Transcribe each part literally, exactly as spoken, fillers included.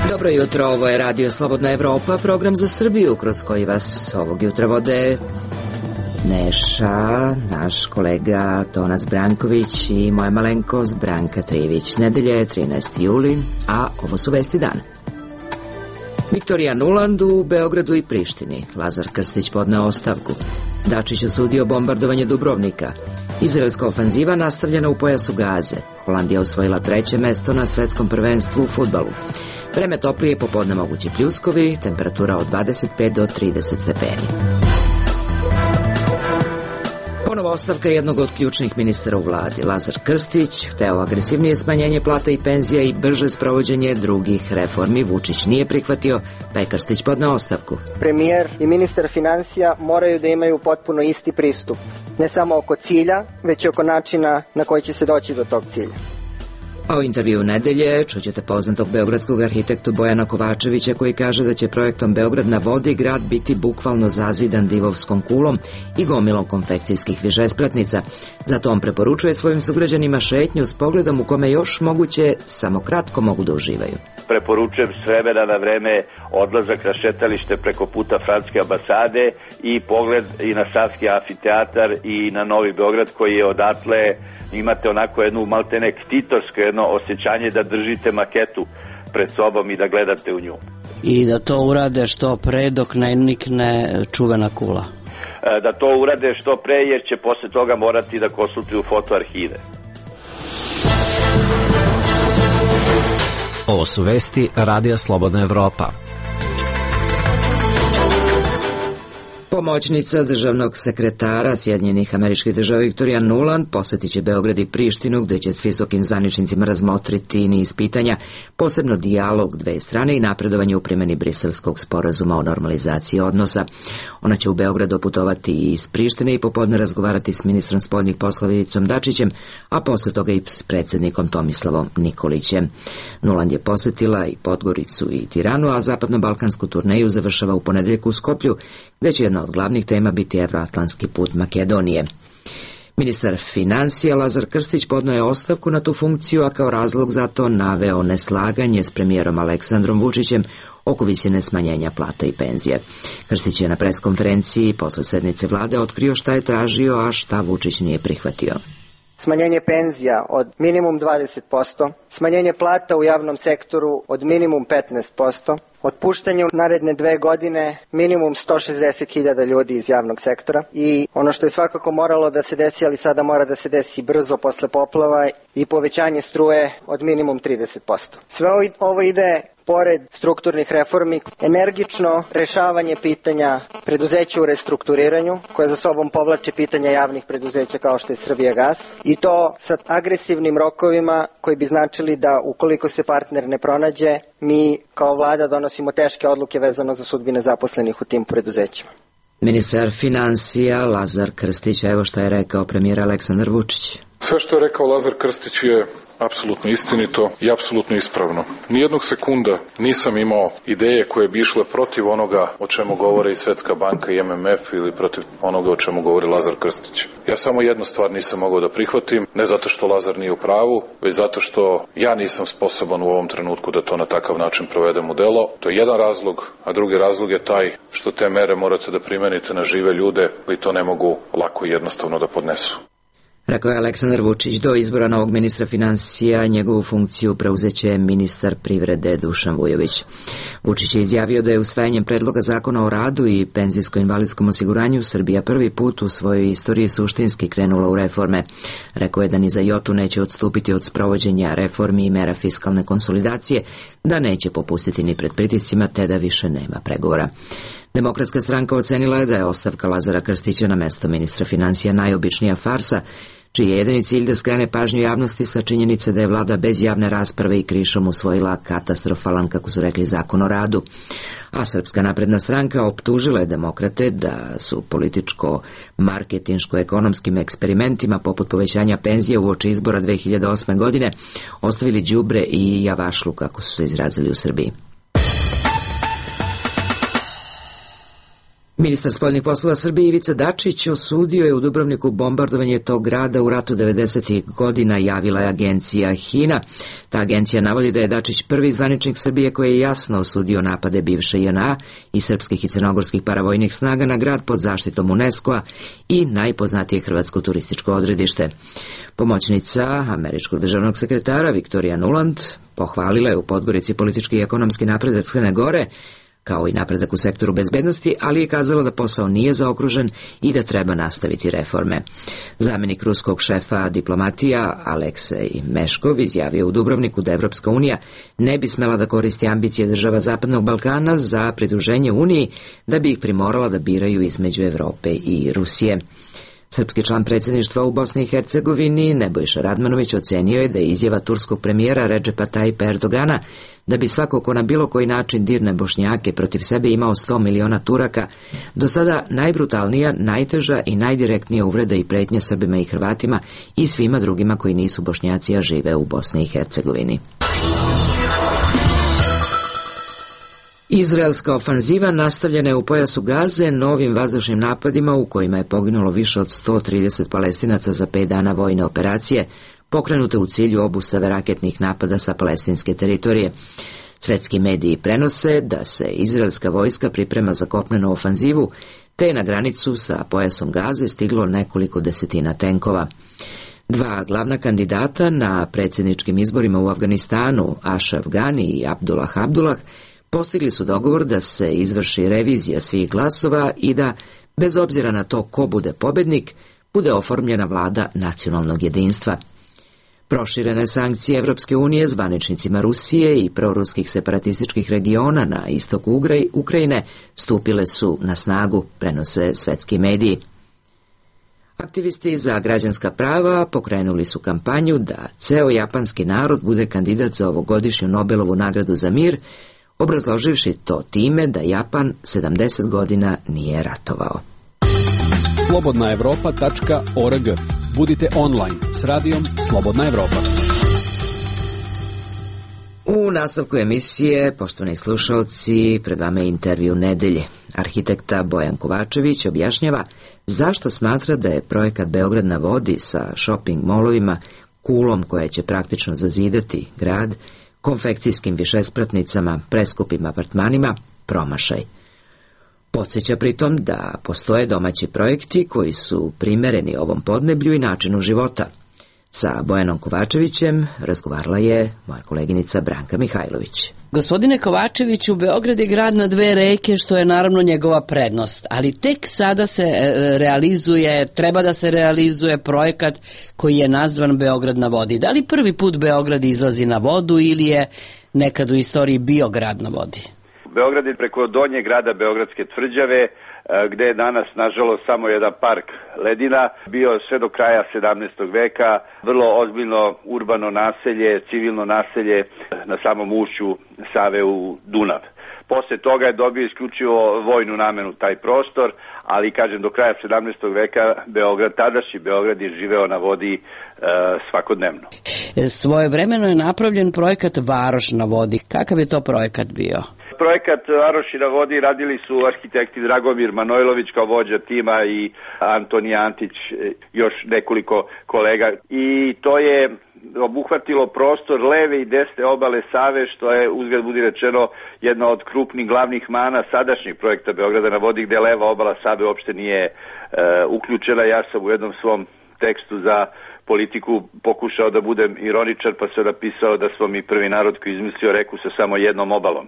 Dobro jutro, ovo je Radio Slobodna Evropa, program za Srbiju kroz koji vas ovog jutra vode Neša, naš kolega Tonac Branković i moja malenkost Branka Trivić. Nedelje je trinaesti juli, a ovo su vesti dana. Viktorija Nuland u Beogradu i Prištini. Lazar Krstić podneo ostavku. Dačić osudio bombardovanje Dubrovnika. Izraelska ofanziva nastavljena u pojasu Gaze. Holandija osvojila treće mesto na svetskom prvenstvu u fudbalu. Vreme toplije, popodne mogući pljuskovi, temperatura od dvadeset pet do trideset stepeni. Ponovo ostavka jednog od ključnih ministara u vladi. Lazar Krstić hteo agresivnije smanjenje plata i penzija i brže sprovođenje drugih reformi. Vučić nije prihvatio, pa je Krstić podneo ostavku. Premijer i ministar finansija moraju da imaju potpuno isti pristup. Ne samo oko cilja, već i oko načina na koji će se doći do tog cilja. A u intervju nedelje čućete poznatog beogradskog arhitektu Bojana Kovačevića koji kaže da će projektom Beograd na vodi grad biti bukvalno zazidan divovskom kulom i gomilom konfekcijskih višespratnica. Zato on preporučuje svojim sugrađanima šetnju s pogledom u kome još moguće samo kratko mogu da uživaju. Preporučujem s vremena na vreme odlazak na šetalište preko puta Francuske ambasade i pogled i na Savski amfiteatar i na Novi Beograd koji je odatle. Imate onako jednu maltene ktitorsko jedno osjećanje da držite maketu pred sobom i da gledate u nju. I da to urade što pre dok ne nikne čuvena kula. Da to urade što pre jer će posle toga morati da konsultuju fotoarhive. Ovo su vesti Radija Slobodna Evropa. Pomoćnica državnog sekretara Sjedinjenih Američkih Država Viktorija Nuland posjetit će Beograd i Prištinu, gde će s visokim zvaničnicima razmotriti niz pitanja, posebno dijalog dve strane i napredovanje u primjeni Briselskog sporazuma o normalizaciji odnosa. Ona će u Beograd doputovati i iz Prištine i popodne razgovarati s ministrom spoljnih poslova Ivicom Dačićem, a posle toga i s predsjednikom Tomislavom Nikolićem. Nuland je posjetila i Podgoricu i Tiranu, a zapadno-balkansku turneju završava u ponedeljak u Skoplju, gde će jedna od glavnih tema biti evroatlantski put Makedonije. Ministar finansija Lazar Krstić podneo je ostavku na tu funkciju, a kao razlog za to naveo neslaganje s premijerom Aleksandrom Vučićem oko visine smanjenja plata i penzije. Krstić je na preskonferenciji posle sednice vlade otkrio šta je tražio, a šta Vučić nije prihvatio. Smanjenje penzija od minimum dvadeset posto, smanjenje plata u javnom sektoru od minimum petnaest posto, otpuštanje u naredne dve godine minimum sto šezdeset hiljada ljudi iz javnog sektora i ono što je svakako moralo da se desi, ali sada mora da se desi brzo posle poplava, i povećanje struje od minimum trideset posto. Sve ovo ide pored strukturnih reformi, energično rešavanje pitanja preduzeća u restrukturiranju, koje za sobom povlače pitanja javnih preduzeća kao što je Srbijagas, i to sa agresivnim rokovima koji bi značili da ukoliko se partner ne pronađe, mi kao vlada donosimo teške odluke vezano za sudbine zaposlenih u tim preduzećima. Ministar finansija Lazar Krstić, evo šta je rekao premijer Aleksandar Vučić. Sve što je rekao Lazar Krstić je apsolutno istinito i apsolutno ispravno. Nijednog sekunda nisam imao ideje koje bi išle protiv onoga o čemu govore i Svetska banka i M M F ili protiv onoga o čemu govori Lazar Krstić. Ja samo jednu stvar nisam mogao da prihvatim, ne zato što Lazar nije u pravu, već zato što ja nisam sposoban u ovom trenutku da to na takav način provedem u delo. To je jedan razlog, a drugi razlog je taj što te mere morate da primenite na žive ljude koji to ne mogu lako i jednostavno da podnesu. Rekao je Aleksandar Vučić. Do izbora novog ministra finansija njegovu funkciju preuzeće ministar privrede Dušan Vujović. Vučić je izjavio da je usvajanjem predloga zakona o radu i penzijsko-invalidskom osiguranju Srbija prvi put u svojoj istoriji suštinski krenula u reforme. Rekao je da ni za jotu neće odstupiti od sprovođenja reformi i mera fiskalne konsolidacije, da neće popustiti ni pred pritiscima, te da više nema pregovora. Demokratska stranka ocenila je da je ostavka Lazara Krstića na mesto ministra finansija najobičnija farsa, čiji je jedini cilj da skrene pažnju javnosti sa činjenice da je vlada bez javne rasprave i krišom usvojila katastrofalan, kako su rekli, zakon o radu. A Srpska napredna stranka optužila je demokrate da su političko-marketinško-ekonomskim eksperimentima poput povećanja penzija uoči izbora dve hiljade osme. godine ostavili đubre i javašlu, kako su se izrazili u Srbiji. Ministar spoljnih poslova Srbije Ivica Dačić osudio je u Dubrovniku bombardovanje tog grada u ratu devedesetih godina, javila je agencija HINA. Ta agencija navodi da je Dačić prvi zvaničnik Srbije koji je jasno osudio napade bivše J N A i srpskih i crnogorskih paravojnih snaga na grad pod zaštitom UNESCO-a i najpoznatije hrvatsko turističko odredište. Pomoćnica američkog državnog sekretara Viktorija Nuland pohvalila je u Podgorici politički i ekonomski napredak Crne Gore, kao i napredak u sektoru bezbednosti, ali je kazala da posao nije zaokružen i da treba nastaviti reforme. Zamenik ruskog šefa diplomatija Aleksej Meškov izjavio u Dubrovniku da Evropska unija ne bi smela da koristi ambicije država Zapadnog Balkana za pridruženje Uniji, da bi ih primorala da biraju između Evrope i Rusije. Srpski član predsjedništva u Bosni i Hercegovini Nebojša Radmanović ocenio je da je izjava turskog premijera Redžepa Tajipa Erdogana da bi svako ko na bilo koji način dirne Bošnjake protiv sebe imao sto miliona Turaka do sada najbrutalnija, najteža i najdirektnija uvreda i pretnja Srbima i Hrvatima i svima drugima koji nisu Bošnjaci, a žive u Bosni i Hercegovini. Izraelska ofanziva nastavljena je u pojasu Gaze novim vazdušnim napadima u kojima je poginulo više od sto trideset Palestinaca za pet dana vojne operacije, pokrenute u cilju obustave raketnih napada sa palestinske teritorije. Svetski mediji prenose da se izraelska vojska priprema za kopnenu ofanzivu, te je na granicu sa pojasom Gaze stiglo nekoliko desetina tenkova. Dva glavna kandidata na predsjedničkim izborima u Afganistanu, Ashraf Ghani i Abdullah Abdullah, postigli su dogovor da se izvrši revizija svih glasova i da, bez obzira na to ko bude pobednik, bude oformljena vlada nacionalnog jedinstva. Proširene sankcije Evropske unije zvaničnicima Rusije i proruskih separatističkih regiona na istoku Ukrajine stupile su na snagu, prenose svetski mediji. Aktivisti za građanska prava pokrenuli su kampanju da ceo japanski narod bude kandidat za ovogodišnju Nobelovu nagradu za mir, obrazloživši to time da Japan sedamdeset godina nije ratovao. slobodna evropa tačka org. Budite online s radijom Slobodna Evropa. U nastavku emisije, poštovani slušalci, pred vama je intervju nedelje. Arhitekta Bojan Kovačević objašnjava zašto smatra da je projekat Beograd na vodi sa shopping molovima, kulom koja će praktično zazidati grad, konfekcijskim višespratnicama, preskupim apartmanima, promašaj. Podsjeća pritom da postoje domaći projekti koji su primereni ovom podneblju i načinu života. Sa Bojanom Kovačevićem razgovarala je moja koleginica Branka Mihajlović. Gospodine Kovačeviću, Beograd je grad na dve reke, što je naravno njegova prednost, ali tek sada se realizuje, treba da se realizuje projekat koji je nazvan Beograd na vodi. Da li prvi put Beograd izlazi na vodu ili je nekad u istoriji bio grad na vodi? Beograd je preko donjeg grada Beogradske tvrđave, gde je danas, nažalost, samo jedan park ledina, bio sve do kraja sedamnaestog veka, vrlo ozbiljno urbano naselje, civilno naselje na samom ušću Save u Dunav. Posle toga je dobio isključivo vojnu namenu taj prostor, ali, kažem, do kraja sedamnaestog veka Beograd, tadašnji Beograd je živeo na vodi e, svakodnevno. Svojevremeno je napravljen projekat Varoš na vodi. Kakav je to projekat bio? Projekat Varoši na vodi radili su arhitekti Dragomir Manojlović kao vođa tima i Antoni Antić, još nekoliko kolega. I to je obuhvatilo prostor leve i desne obale Save, što je, uzgled budi rečeno, jedna od krupnih glavnih mana sadašnjeg projekta Beograda na vodi, gde leva obala Save uopšte nije e, uključena. Ja sam u jednom svom tekstu za politiku pokušao da budem ironičar, pa sam napisao da smo mi prvi narod koji izmislio reku sa samo jednom obalom,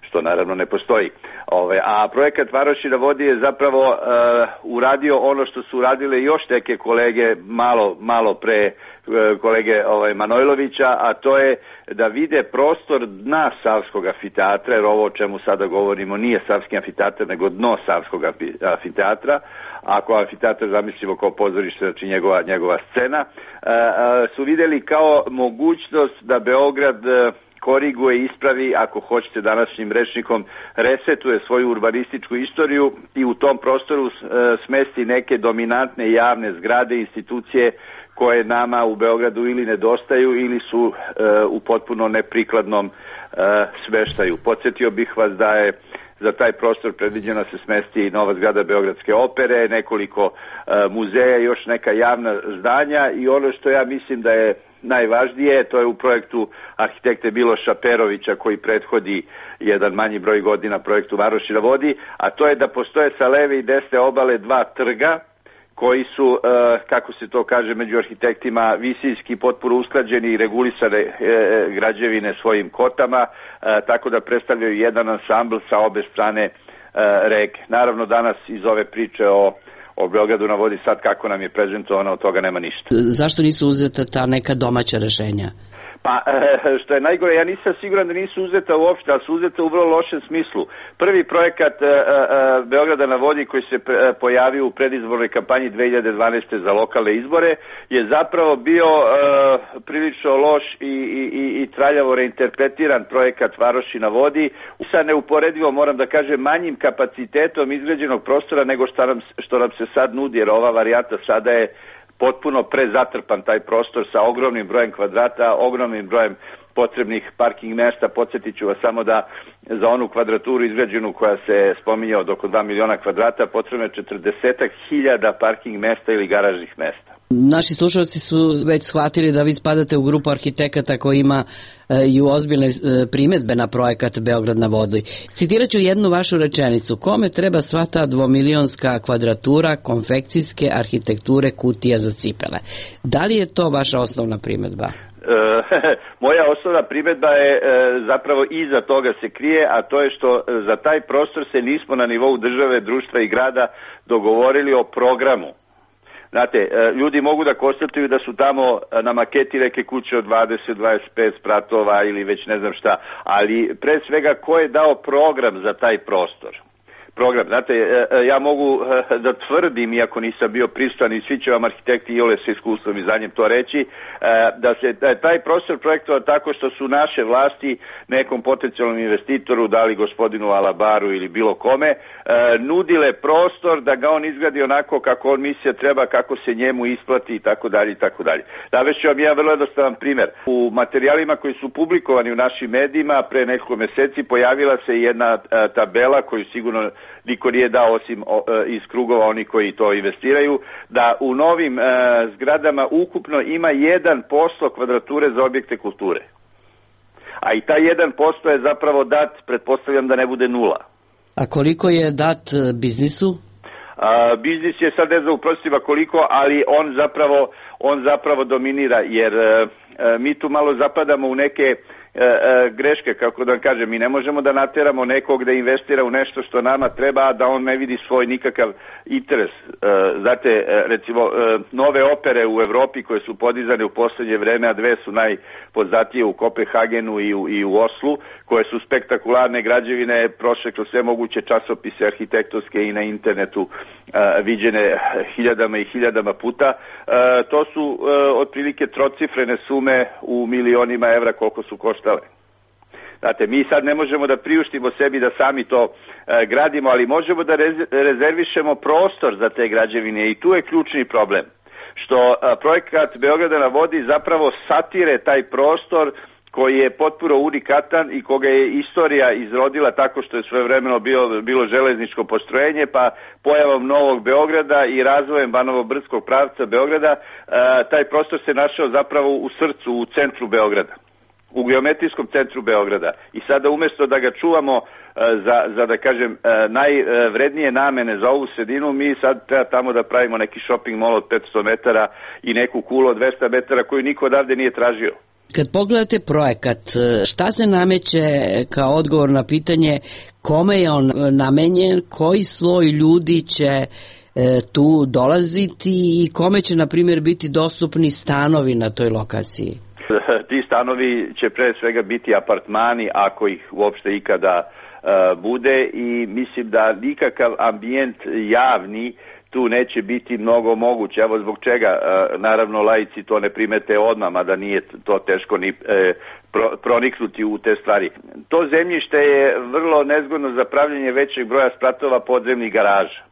što naravno ne postoji. Ove, a projekat Varoši na vodi je zapravo uh, uradio ono što su uradile još neke kolege malo, malo pre kolege ovaj, Manojlovića, a to je da vide prostor dna Savskog amfiteatra, jer ovo o čemu sada govorimo nije Savski amfiteatar, nego dno Savskog amfiteatra. Ako amfiteatar zamislimo kao pozorište, znači njegova, njegova scena, su vidjeli kao mogućnost da Beograd koriguje, ispravi, ako hoćete današnjim rečnikom, resetuje svoju urbanističku istoriju i u tom prostoru smesti neke dominantne javne zgrade, institucije koje nama u Beogradu ili nedostaju ili su u potpuno neprikladnom smeštaju. Podsjetio bih vas da je za taj prostor predviđeno se smesti nova zgrada Beogradske opere, nekoliko muzeja i još neka javna zdanja i ono što ja mislim da je najvažnije, to je u projektu arhitekte Miloša Perovića koji prethodi jedan manji broj godina projektu Varoši na vodi, a to je da postoje sa leve i desne obale dva trga koji su, kako se to kaže među arhitektima, visinski potpuno usklađeni i regulisane građevine svojim kotama, tako da predstavljaju jedan ansambl sa obe strane reke. Naravno danas iz ove priče o o Beogradu na vodi sad kako nam je prezentovano, od toga nema ništa. Zašto nisu uzeta ta neka domaća rešenja? Pa, što je najgore, ja nisam siguran da nisu uzeta uopšte, ali su uzeta u vrlo lošem smislu. Prvi projekat Beograda na vodi koji se pojavio u predizbornoj kampanji dve hiljade dvanaeste. za lokalne izbore je zapravo bio prilično loš i, i, i traljavo reinterpretiran projekat Varoši na vodi sa neuporedivo, moram da kažem, manjim kapacitetom izgrađenog prostora nego što nam, što nam se sad nudi, jer ova varijanta sada je potpuno prezatrpan taj prostor sa ogromnim brojem kvadrata, ogromnim brojem potrebnih parking mesta. Podsjetit ću vas samo da za onu kvadraturu izgrađenu koja se spominje od oko dva miliona kvadrata potrebno je četrdeset hiljada parking mesta ili garažnih mesta. Naši slušalci su već shvatili da vi spadate u grupu arhitekata koji ima i ozbiljne primetbe na projekat Beograd na vodi. Citirat ću jednu vašu rečenicu. Kome treba sva ta dvomilionska kvadratura konfekcijske arhitekture kutija za cipele? Da li je to vaša osnovna primetba? Moja osnovna primedba je zapravo iza toga se krije, a to je što za taj prostor se nismo na nivou države, društva i grada dogovorili o programu. Znate, ljudi mogu da konstatuju da su tamo na maketi neke kuće od dvadeset do dvadeset pet spratova ili već ne znam šta, ali pre svega ko je dao program za taj prostor? Program, znate, ja mogu da tvrdim, iako nisam bio prisutan i svi će vam arhitekti i ole sa iskustvom i za njim to reći, da se taj prostor projektovao tako što su naše vlasti nekom potencijalnom investitoru, da li gospodinu Alabaru ili bilo kome, nudile prostor da ga on izgradi onako kako on misli treba, kako se njemu isplati i tako dalje i tako dalje. Navešću vam jedan vrlo jednostavan primjer. U materijalima koji su publikovani u našim medijima pre nekoliko meseci pojavila se jedna tabela koju sigurno niko nije dao osim iz krugova oni koji to investiraju, da u novim e, zgradama ukupno ima jedan posto kvadrature za objekte kulture. A i taj jedan posto je zapravo dat, pretpostavljam da ne bude nula. A koliko je dat biznisu? A, biznis je sad ne znam u prostima koliko, ali on zapravo, on zapravo dominira, jer e, mi tu malo zapadamo u neke greške, kako da vam kažem, mi ne možemo da nateramo nekog da investira u nešto što nama treba, a da on ne vidi svoj nikakav interes. Znate, recimo, nove opere u Evropi koje su podizane u poslednje vreme, a dve su najpoznatije u Kopenhagenu i u, i u Oslu, koje su spektakularne građevine, prošle kroz sve moguće časopise arhitektonske i na internetu viđene hiljadama i hiljadama puta. To su otprilike trocifrene sume u milionima evra koliko su koštale. Znate, mi sad ne možemo da priuštimo sebi da sami to e, gradimo, ali možemo da rezervišemo prostor za te građevine i tu je ključni problem. Što a, projekat Beograda na vodi zapravo satire taj prostor koji je potpuno unikatan i koga je istorija izrodila tako što je svojevremeno bilo, bilo železničko postrojenje, pa pojavom Novog Beograda i razvojem Banovo-Brdskog pravca Beograda, e, taj prostor se našao zapravo u srcu, u centru Beograda, u geometrijskom centru Beograda. I sada umjesto da ga čuvamo za, za da kažem, najvrednije namene za ovu sredinu, mi sad treba tamo da pravimo neki shopping mall od petsto metara i neku kulu od dvesta metara koju niko odavde nije tražio. Kad pogledate projekat, šta se nameće kao odgovor na pitanje kome je on namenjen, koji sloj ljudi će tu dolaziti i kome će, na primjer, biti dostupni stanovi na toj lokaciji? Ti stanovi će pre svega biti apartmani, ako ih uopšte ikada uh, bude, i mislim da nikakav ambijent javni tu neće biti mnogo moguće. Evo zbog čega, uh, naravno laici to ne primete odmah, mada nije to teško ni e, pro, proniknuti u te stvari. To zemljište je vrlo nezgodno za pravljenje većeg broja spratova podzemnih garaža.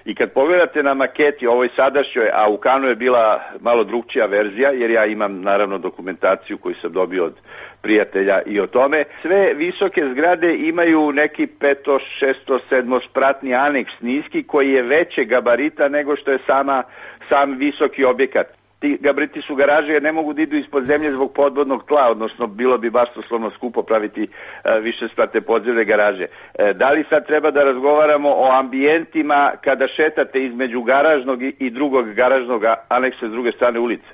I kad pogledate na maketi, ovoj sadašnjoj, a u Kanu je bila malo drugčija verzija, jer ja imam naravno dokumentaciju koju sam dobio od prijatelja i o tome, sve visoke zgrade imaju neki peto, šesto, sedmo spratni aneks niski koji je veće gabarita nego što je sama, sam visoki objekat. Ti gabariti su garaže jer ne mogu da idu ispod zemlje zbog podvodnog tla, odnosno bilo bi basnoslovno skupo praviti e, više sprate podzemne garaže. E, da li sad treba da razgovaramo o ambijentima kada šetate između garažnog i, i drugog garažnog aneksa s druge strane ulice?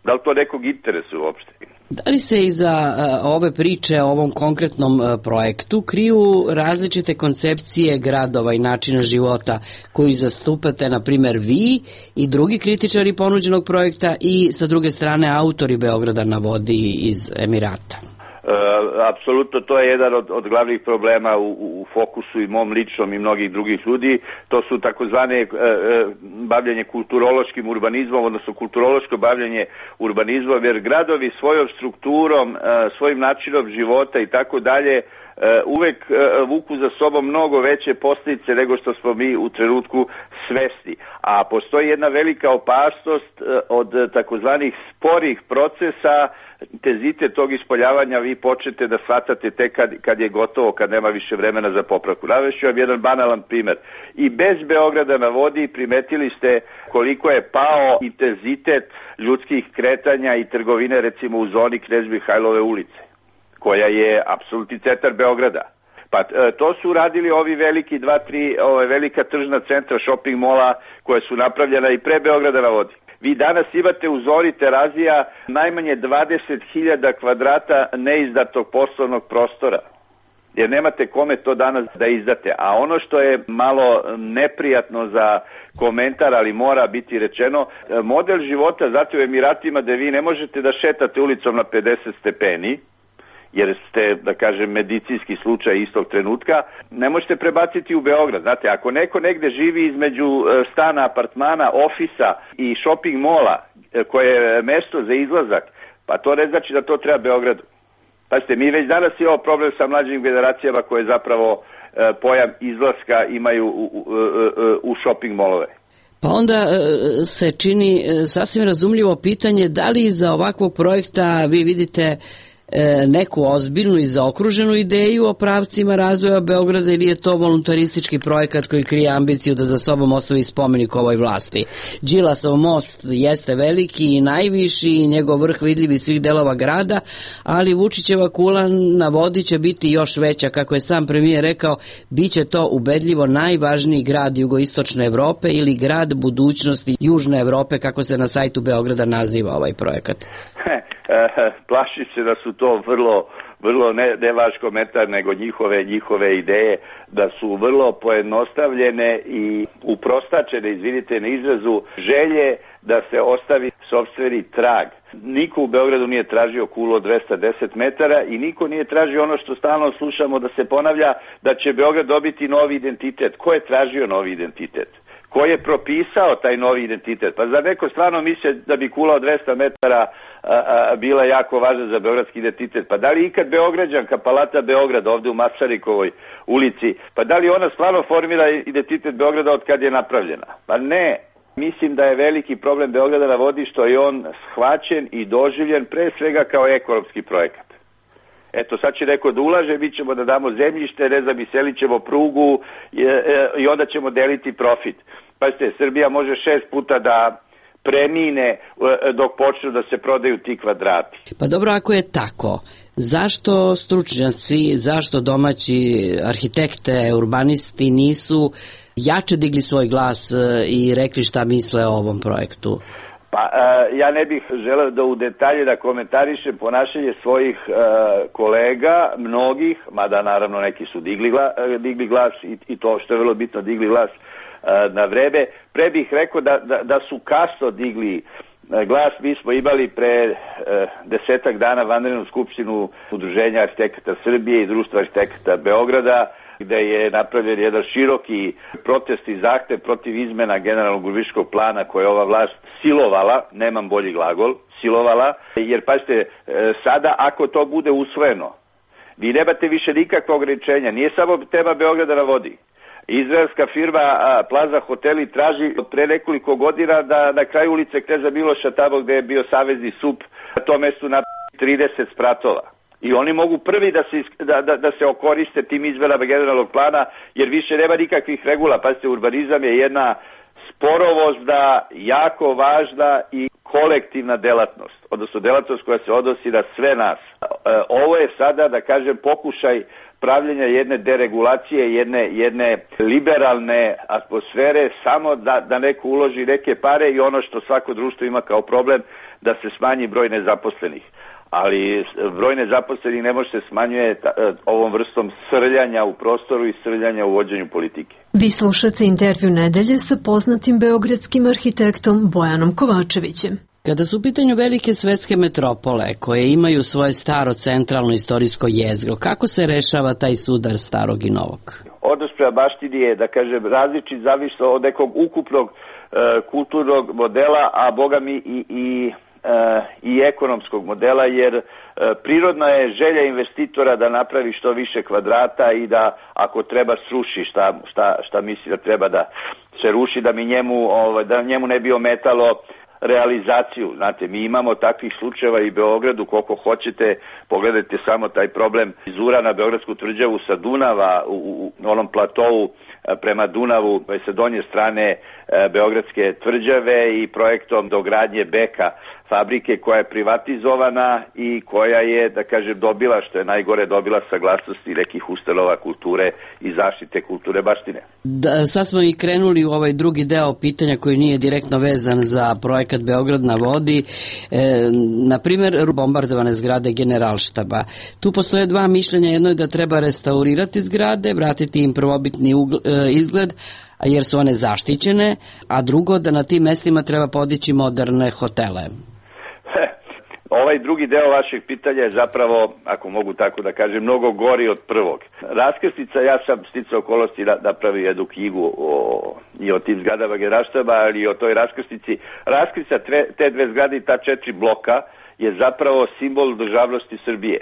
Da li to nekog interesuje uopšte? Da li se iza uh, ove priče o ovom konkretnom uh, projektu kriju različite koncepcije gradova i načina života koji zastupate, na primjer, vi i drugi kritičari ponuđenog projekta i sa druge strane autori Beograda na vodi iz Emirata? E, apsolutno, to je jedan od, od glavnih problema u, u fokusu i mom ličnom i mnogih drugih ljudi. To su takozvane e, e, bavljanje kulturološkim urbanizmom, odnosno kulturološko bavljanje urbanizmom, jer gradovi svojom strukturom, e, svojim načinom života i tako dalje uvek vuku za sobom mnogo veće posljedice nego što smo mi u trenutku svesni. A postoji jedna velika opasnost od takozvanih sporih procesa. Intenzitet tog ispoljavanja vi počete da shvatate tek kad, kad je gotovo, kad nema više vremena za popravku. Navešću vam jedan banalan primer. I bez Beograda na vodi primetili ste koliko je pao intenzitet ljudskih kretanja i trgovine, recimo u zoni Knez Mihajlove ulice, koja je apsolutni centar Beograda. Pa to su radili ovi veliki dva, tri ove velika tržna centra, shopping mola koje su napravljena i pre Beograda na vodi. Vi danas imate u zoni Terazija najmanje dvadeset hiljada kvadrata neizdatog poslovnog prostora, jer nemate kome to danas da izdate. A ono što je malo neprijatno za komentar, ali mora biti rečeno, model života, zato u Emiratima, da vi ne možete da šetate ulicom na pedeset stepeni, jer ste, da kažem, medicinski slučaj istog trenutka, ne možete prebaciti u Beograd. Znate, ako neko negde živi između stana, apartmana, ofisa i shopping mola, koje je mesto za izlazak, pa to ne znači da to treba Beogradu. Pazite, mi već danas imamo problem sa mlađim generacijama koje zapravo pojam izlaska imaju u, u, u shopping molove. Pa onda se čini sasvim razumljivo pitanje da li iza ovakvog projekta vi vidite neku ozbiljnu i zaokruženu ideju o pravcima razvoja Beograda, ili je to voluntaristički projekat koji krije ambiciju da za sobom ostavi spomenik ovoj vlasti? Đilasov most jeste veliki i najviši i njegov vrh vidljiv iz svih delova grada, ali Vučićeva kula na vodi će biti još veća. Kako je sam premijer rekao, bit će to ubedljivo najvažniji grad jugoistočne Evrope ili grad budućnosti južne Evrope, kako se na sajtu Beograda naziva ovaj projekat. Plaši se da su to vrlo, vrlo ne, ne vaš komentar, nego njihove, njihove ideje, da su vrlo pojednostavljene i uprostačene, izvinite na izrazu, želje da se ostavi sopstveni trag. Niko u Beogradu nije tražio kulu od dvesta deset metara i niko nije tražio ono što stalno slušamo da se ponavlja, da će Beograd dobiti novi identitet. Ko je tražio novi identitet? Ko je propisao taj novi identitet? Pa za neko stvarno misle da bi kula od dvesta metara a, a, bila jako važna za beogradski identitet. Pa da li ikad Beograđanka, Palata Beograd, ovde u Masarikovoj ulici, pa da li ona stvarno formira identitet Beograda od kad je napravljena? Pa ne. Mislim da je veliki problem Beograda na vodi što je on shvaćen i doživljen pre svega kao ekonomski projekat. Eto, sad će neko da ulaže, mi ćemo da damo zemljište, ne znam, i selit ćemo prugu i, i onda ćemo deliti profit. Pazite, Srbija može šest puta da premine dok počnu da se prodaju ti kvadrati. Pa dobro, ako je tako, zašto stručnjaci, zašto domaći arhitekte, urbanisti nisu jače digli svoj glas i rekli šta misle o ovom projektu? Pa ja ne bih želeo da u detalje da komentarišem ponašanje svojih kolega, mnogih, mada naravno neki su digli glas, digli glas i, i to što je vrlo bitno, digli glas na vreme. Pre bih rekao da, da, da su kasno digli glas. Mi smo imali pre desetak dana vanrednu skupštinu Udruženja arhitekata Srbije i Društva arhitekata Beograda, gde je napravljen jedan široki protest i zahtev protiv izmena generalnog urbanističkog plana koje je ova vlast silovala, nemam bolji glagol, silovala, jer pazite, sada ako to bude usvojeno, vi nemate više nikakve ograničenja, nije samo tema Beograda na vodi. Izraelska firma Plaza Hoteli traži pre nekoliko godina da na kraju ulice Kneza Miloša, tamo gde je bio savezni S U P, na tom mestu napravi trideset spratova. I oni mogu prvi da se, da, da, da se okoriste tim izmenama generalnog plana, jer više nema nikakvih regula. Pazite, urbanizam je jedna sporovozna, jako važna i kolektivna delatnost, odnosno delatnost koja se odnosi na sve nas. Ovo je sada, da kažem, pokušaj pravljenja jedne deregulacije, jedne, jedne liberalne atmosfere, samo da, da neko uloži neke pare i ono što svako društvo ima kao problem, da se smanji broj nezaposlenih. Ali broj nezaposlenih ne može se smanjuje ovom vrstom srljanja u prostoru i srljanja u vođenju politike. Vi slušate intervju nedelje sa poznatim beogradskim arhitektom Bojanom Kovačevićem. Kada su u pitanju velike svetske metropole koje imaju svoje staro centralno istorijsko jezgro, kako se rešava taj sudar starog i novog? Odnos prema baštini je, da kažem, različit zavisno od nekog ukupnog e, kulturnog modela, a boga mi i, i i ekonomskog modela, jer prirodna je želja investitora da napravi što više kvadrata i da ako treba sruši šta, šta, šta misli da treba da se ruši, da mi njemu, da njemu ne bi ometalo realizaciju. Znate, mi imamo takvih slučajeva i Beogradu koliko hoćete, pogledajte samo taj problem izura na Beogradsku tvrđavu sa Dunava u, u onom platovu prema Dunavu sa donje strane Beogradske tvrđave i projektom dogradnje Beka, fabrike koja je privatizovana i koja je, da kažem, dobila, što je najgore, dobila saglasnosti nekih ustanova kulture i zaštite kulture baštine. Da, sad smo i krenuli u ovaj drugi deo pitanja koji nije direktno vezan za projekat Beograd na vodi. E, na primjer, bombardovane zgrade Generalštaba. Tu postoje dva mišljenja. Jedno je da treba restaurirati zgrade, vratiti im prvobitni ugl, e, izgled, jer su one zaštićene, a drugo da na tim mestima treba podići moderne hotele. Ovaj drugi deo vašeg pitanja je zapravo, ako mogu tako da kažem, mnogo gori od prvog. Raskrstica, ja sam sticao okolnosti da napravio jednu knjigu o, i o tim zgradama Generalštaba, ali i o toj raskrsnici. Raskrstica te dve zgrade i ta četiri bloka je zapravo simbol državnosti Srbije.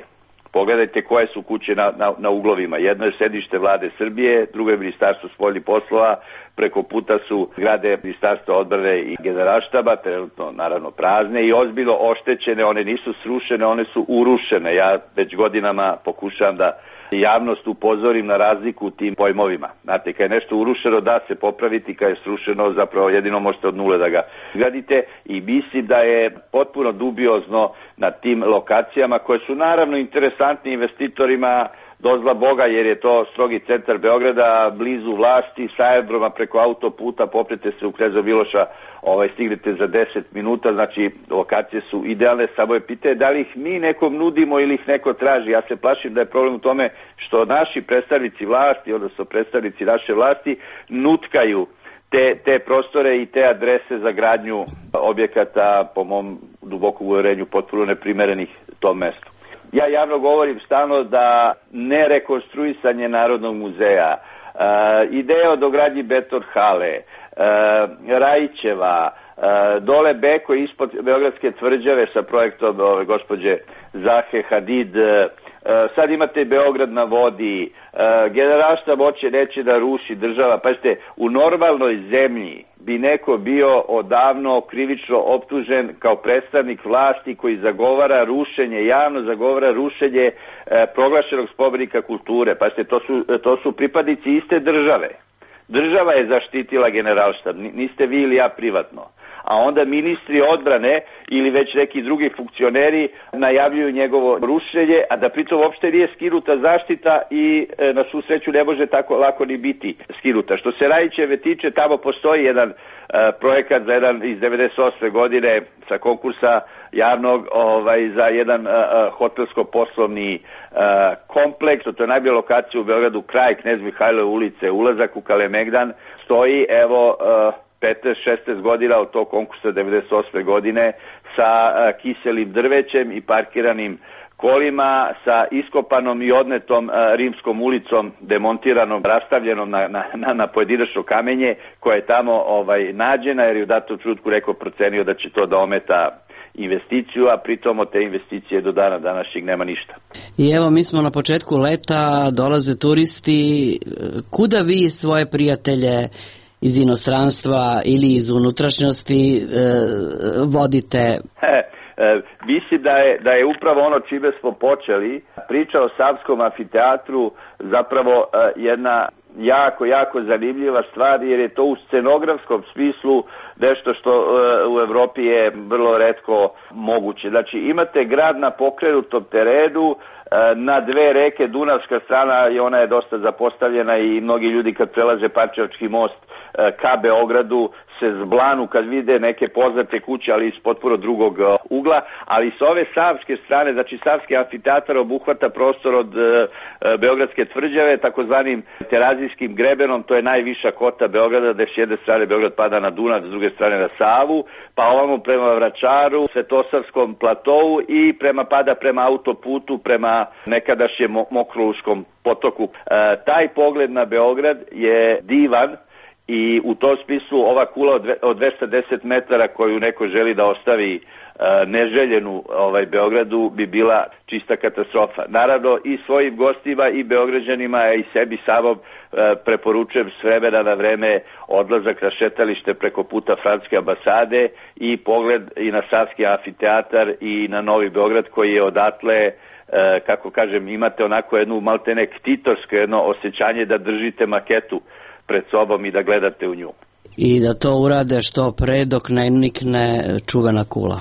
Pogledajte koje su kuće na, na, na uglovima. Jedno je sedište vlade Srbije, drugo je ministarstvo spoljnih poslova, preko puta su zgrade ministarstva odbrane i Generalštaba, trenutno naravno prazne i ozbiljno oštećene, one nisu srušene, one su urušene. Ja već godinama pokušavam da javnost upozorim na razliku u tim pojmovima. Znate, kad je nešto urušeno da se popraviti, kad je srušeno zapravo jedino možete od nule da ga gradite i mislim da je potpuno dubiozno na tim lokacijama koje su naravno interesantni investitorima do zla Boga, jer je to strogi centar Beograda, blizu vlasti, sa aerodroma preko autoputa, popnete se u Kneza Miloša, ovaj, stignete za deset minuta, znači lokacije su idealne, samo je pitanje da li ih mi nekom nudimo ili ih neko traži. Ja se plašim da je problem u tome što naši predstavnici vlasti, odnosno predstavnici naše vlasti, nutkaju te, te prostore i te adrese za gradnju objekata, po mom dubokom uverenju, potpuno neprimerenih tom mestu. Ja javno govorim stalno da nerekonstruisanje Narodnog muzeja, uh, ideja o dogradnji beton hale, uh, Rajićeva, uh, dole Beko ispod Beogradske tvrđave sa projektom ove gospođe Zahe Hadid, uh, sad imate Beograd na vodi, uh, Generalštab hoće neće da ruši država. Pazite, u normalnoj zemlji bi neko bio odavno krivično optužen kao predstavnik vlasti koji zagovara rušenje, javno zagovara rušenje e, proglašenog spomenika kulture. Pazite, to su, to su pripadnici iste države. Država je zaštitila Generalštab, niste vi ili ja privatno. a onda ministri odbrane ili već neki drugi funkcioneri najavljuju njegovo rušenje, a da pritom uopšte nije skinuta zaštita i e, na svu sreću ne može tako lako ni biti skinuta. Što se Rajićeve tiče, tamo postoji jedan e, projekat za jedan iz devedeset osme godine sa konkursa javnog ovaj, za jedan e, hotelsko-poslovni e, kompleks. To je najbolja lokacija u Beogradu, kraj Knez Mihajlove ulice, ulazak u Kalemegdan. Stoji, evo, e, petnaest šesnaest godina od tog konkursa devedeset osme godine sa e, kiselim drvećem i parkiranim kolima, sa iskopanom i odnetom a, rimskom ulicom, demontiranom, rastavljenom na, na, na, na pojedinačno kamenje, koje je tamo ovaj, nađena, jer je u datom trenutku rekao procenio da će to da ometa investiciju, a pritom od te investicije do dana današnjeg nema ništa. I evo, mi smo na početku leta, dolaze turisti. Kuda vi svoje prijatelje iz inostranstva ili iz unutrašnjosti e, vodite? He. E, mislim da je, da je upravo ono čime smo počeli, priča o Savskom amfiteatru, zapravo e, jedna jako, jako zanimljiva stvar, jer je to u scenografskom smislu nešto što e, u Evropi je vrlo retko moguće. Znači, imate grad na pokrenutom terenu, e, na dve reke, Dunavska strana i ona je dosta zapostavljena i mnogi ljudi kad prelaze Pančevački most e, ka Beogradu se zblanu kad vide neke poznate kuće, ali iz potpuno drugog uh, ugla, ali s ove savske strane, znači Savski amfiteatar obuhvata prostor od uh, Beogradske tvrđave, takozvanim Terazijskim grebenom, to je najviša kota Beograda, gde s jedne strane Beograd pada na Dunav, s druge strane na Savu, pa ovamo prema Vračaru, Svetosavskom platovu i prema pada prema autoputu, prema nekadašnjem Mokroluškom potoku. Uh, taj pogled na Beograd je divan, i u tom smislu ova kula od dvesta deset metara koju neko želi da ostavi e, neželjenu ovaj, Beogradu bi bila čista katastrofa. Naravno i svojim gostima i Beograđanima i sebi samom e, preporučujem s vremena na vreme odlazak na šetalište preko puta Francuske ambasade i pogled i na Savski amfiteatar i na Novi Beograd koji je odatle, e, kako kažem, imate onako jednu maltene ktitorsko jedno osjećanje da držite maketu pred sobom i da gledate u nju. I da to urade što pre dok ne nikne čuvena kula.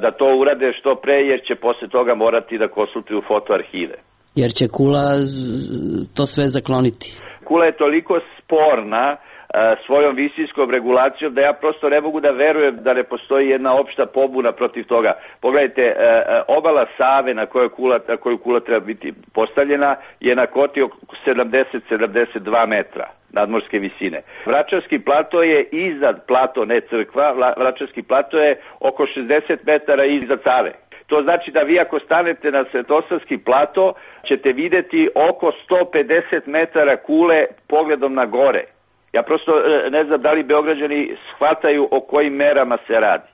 Da to urade što pre jer će posle toga morati da konsultuju fotoarhive. Jer će kula to sve zakloniti. Kula je toliko sporna svojom visinskom regulacijom da ja prosto ne mogu da verujem da ne postoji jedna opšta pobuna protiv toga. Pogledajte, obala Save na kojoj kula, na koju kula treba biti postavljena je na koti oko sedamdeset do sedamdeset dva metra nadmorske visine. Vračarski plato je iznad plato, ne crkva, Vračarski plato je oko šezdeset metara iznad Save. To znači da vi ako stanete na Svetosavski plato ćete videti oko sto pedeset metara kule pogledom na gore. Ja prosto ne znam da li Beograđani shvataju o kojim merama se radi.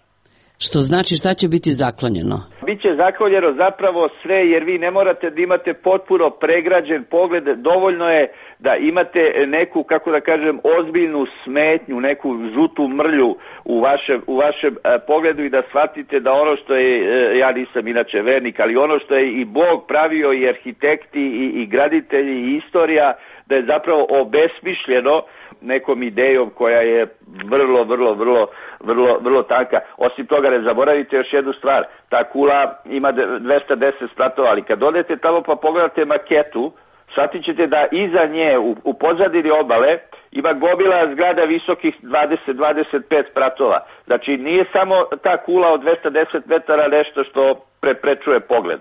Što znači šta će biti zaklonjeno? Biće zaklonjeno zapravo sve, jer vi ne morate da imate potpuno pregrađen pogled, dovoljno je da imate neku, kako da kažem, ozbiljnu smetnju, neku žutu mrlju u vašem, u vašem e, pogledu i da shvatite da ono što je, e, ja nisam inače vernik, ali ono što je i Bog pravio i arhitekti i, i graditelji i istorija, da je zapravo obesmišljeno nekom idejom koja je vrlo, vrlo, vrlo, vrlo, vrlo tanka. Osim toga, ne zaboravite još jednu stvar, ta kula ima dvesta deset spratova, ali kad odete tamo pa pogledate maketu, shvatit ćete da iza nje, u, u pozadini obale, ima gomila zgrada visokih dvadeset do dvadeset pet spratova. Znači, nije samo ta kula od dvesta deset metara nešto što preprečuje pogled,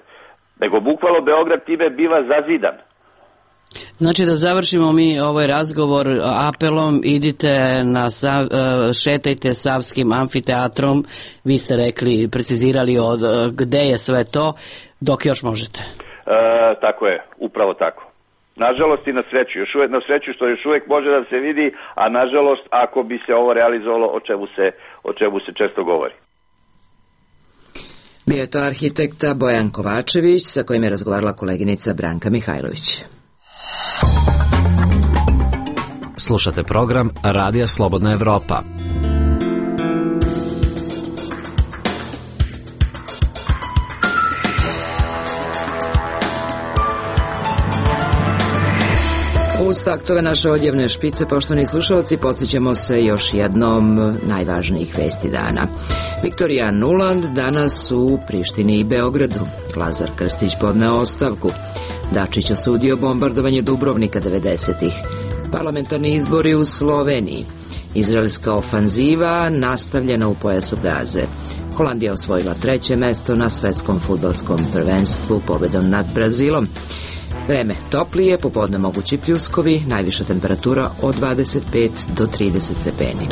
nego bukvalno Beograd time biva zazidan. Znači da završimo mi ovaj razgovor apelom, idite na Sav, šetajte Savskim amfiteatrom, vi ste rekli, precizirali od gde je sve to, dok još možete. E, tako je, upravo tako. Nažalost i na sreću, još uvek, na sreću što još uvek može da se vidi, a nažalost ako bi se ovo realizovalo, o čemu se, o čemu se često govori. Bio je to arhitekta Bojan Kovačević, sa kojim je razgovarala koleginica Branka Mihajlović. Slušate program Radija Slobodna Evropa. U Uz taktove naše odjevne špice, poštovani slušalci, podsjećamo se još jednom najvažnijih vesti dana. Viktorija Nuland danas u Prištini i Beogradu. Lazar Krstić podneo ostavku. Dačić osudio bombardovanje Dubrovnika devedesetih. Parlamentarni izbori u Sloveniji. Izraelska ofanziva nastavljena u pojasu Gaze. Holandija osvojila treće mesto na svetskom fudbalskom prvenstvu pobedom nad Brazilom. Vreme toplije, popodne mogući pljuskovi, najviša temperatura od dvadeset pet do trideset stepeni.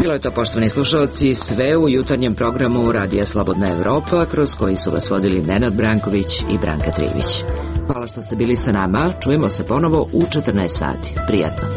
Bilo je to, poštovani slušalci, sve u jutarnjem programu Radija Slobodna Evropa, kroz koji su vas vodili Nenad Branković i Branka Trivić. Hvala što ste bili sa nama, čujemo se ponovo u četrnaest sati. Prijatno.